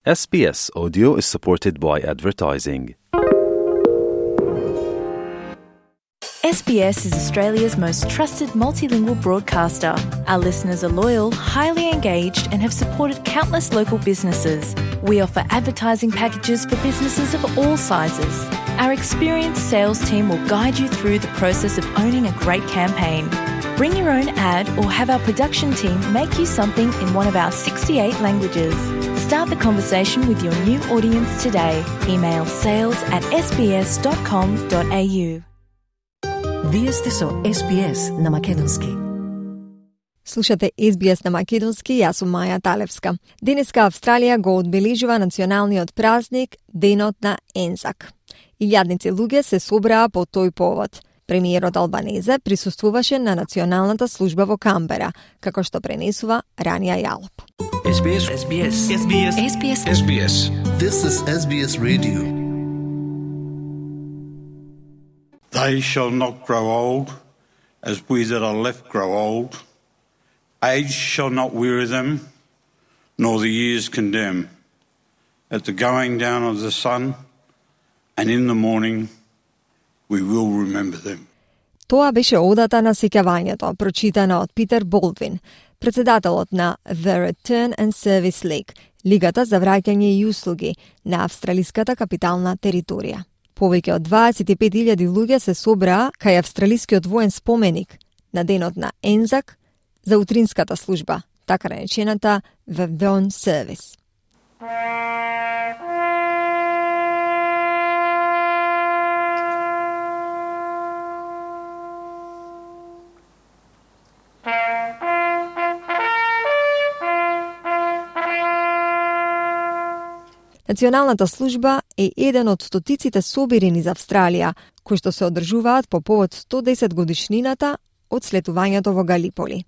SBS Audio is supported by advertising. SBS is Australia's most trusted multilingual broadcaster. Our listeners are loyal, highly engaged, and have supported countless local businesses. We offer advertising packages for businesses of all sizes. Our experienced sales team will guide you through the process of owning a great campaign. Bring your own ad or have our production team make you something in one of our 68 languages. Start the conversation with your new audience today. Email sales@sbs.com.au. Вие сте со SBS на македонски. Слушате SBS на македонски, јас сум Маја Талевска. Денеска Австралија го одбележува националниот празник Денот на Ензак. Илјадници луѓе се собраа по тој повод. Премиерот Албанезе присуствуваше на националната служба во Камбера, како што пренесува Рания Јалоп. SBS. This is SBS Radio. They shall not grow old, as we that are left grow old. Age shall not weary them, nor the years condemn. At the going down of the sun, and in the morning, we will remember them. Тоа беше одата на сеќавањето, прочитана од Питер Болдвин, председателот на The Return and Service League, Лигата за враќање и услуги на австралиската капитална територија. Повеќе од 25.000 луѓе се собраа кај австралискиот воен споменик на денот на Ензак за утринската служба, така наречената Vavon Service. Националната служба е еден од стотиците собири низ Австралија, кои што се одржуваат по повод 110 годишнината од слетувањето во Галиполи.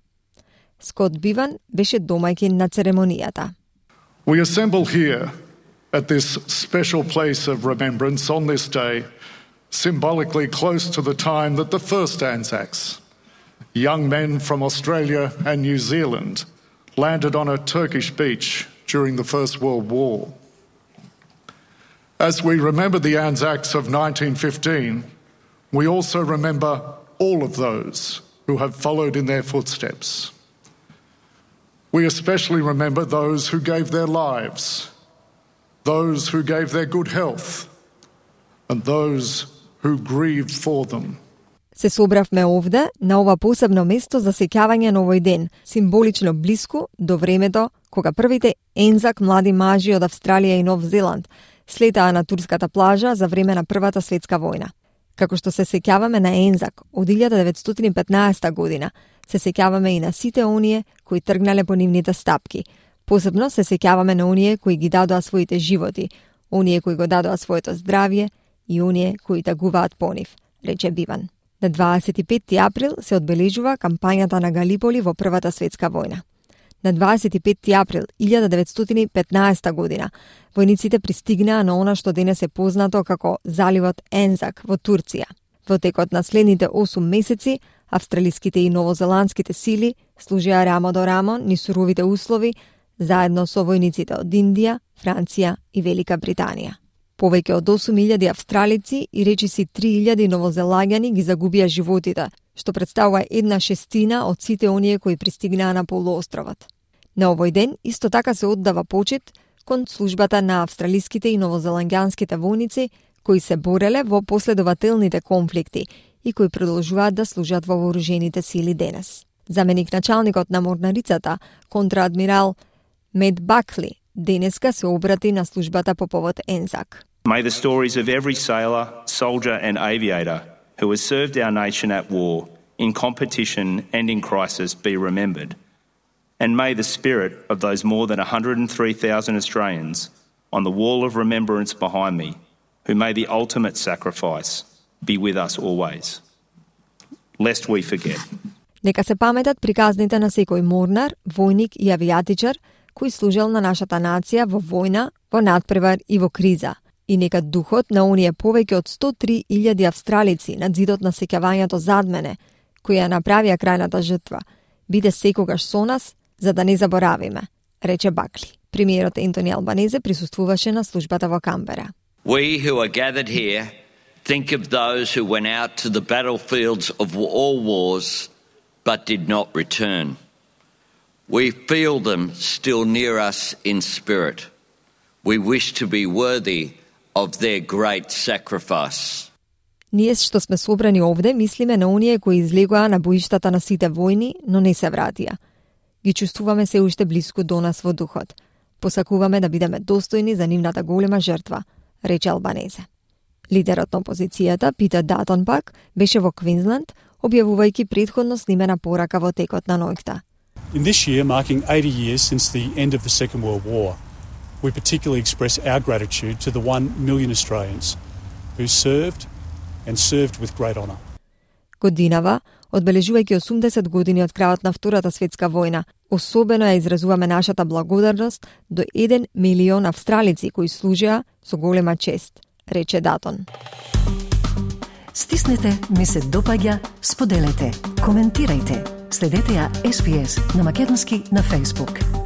Скот Биван беше домајќин на церемонијата. We assemble here at this special place of remembrance on this day, symbolically close to the time that the first Anzacs, young men from Australia and New Zealand, landed on a Turkish beach during the First World War. As we remember the Anzacs of 1915, we also remember all of those who have followed in their footsteps. We especially remember those who gave their lives, those who gave their good health, and those who grieved for them. Се собравме овде, на ова посебно место за сеќавање на овој ден, символично блиску до времето кога првите Ензак млади мажи од Австралија и Нов Зеланд слетаа на турската плажа за време на Првата светска војна. Како што се сеќаваме на Ензак од 1915 година, се сеќаваме и на сите оние кои тргнале по нивните стапки. Посебно се сеќаваме на оние кои ги дадоа своите животи, оние кои го дадоа своето здравје и оние кои тагуваат по нив, рече Биван. На 25 април се одбележува кампањата на Галиполи во Првата светска војна. На 25 април 1915 година, војниците пристигнаа на она што денес е познато како заливот Ензак во Турција. Во текот на следните 8 месеци, австралиските и новозеландските сили служеа рамо до рамо низ суровите услови, заедно со војниците од Индија, Франција и Велика Британија. Повеќе од 8.000 австралици и речиси 3.000 новозелагјани ги загубија животите, што представува 1/6 од сите оние кои пристигнаа на полуостровот. На овој ден исто така се оддава почит кон службата на австралиските и новозеландјанските војници кои се бореле во последователните конфликти и кои продолжуваат да служат во вооружените сили денес. Заменик началникот на морнарицата, контраадмирал Мед Бакли, денеска се обрати на службата по повод Ензак. May the stories of every sailor, soldier and aviator who has served our nation at war, in competition and in crisis be remembered. And may the spirit of those more than 103,000 Australians on the wall of remembrance behind me, who made the ultimate sacrifice, be with us always. Lest we forget. Нека се паметат приказните на секој морнар, војник и авијатичар кој служел на нашата нација во војна, во надпревар и во криза. И нека духот на оние повеќе од 103.000 австралици на зидот на сеќавањето зад мене, кои ја направија крајната жртва, биде секогаш со нас, за да не заборавиме, рече Бакли. Премиерот Ентони Албанезе присуствуваше на службата во Камбера. We who are gathered here think of those who went out to the battlefields of all wars but did not return. We feel them still near us in spirit. We wish to be worthy of their great sacrifice. Ние што сме собрани овде мислиме на оние кои излегоа на боиштата на сите војни, но не се вратија. Ги чувствуваме се уште блиску до нас во духот. Посакуваме да бидеме достојни за нивната голема жртва, рече Албанезе. Лидерот на опозицијата, Питер Датон пак, беше во Квинсленд, објавувајќи претходно снимена порака во текот на ноќта. In this year, marking 80 years since the end of the Second World War, we particularly express our gratitude to the 1 million Australians who served and served with great honour. Годинава, одбележувајќи 80 години од крајот на Втората светска војна, особено ја изразуваме нашата благодарност до 1 милион австралици кои служеа со голема чест, рече Датон. Стиснете, ми се допаѓа, споделете, коментирајте. Следете ја SBS на македонски на Facebook.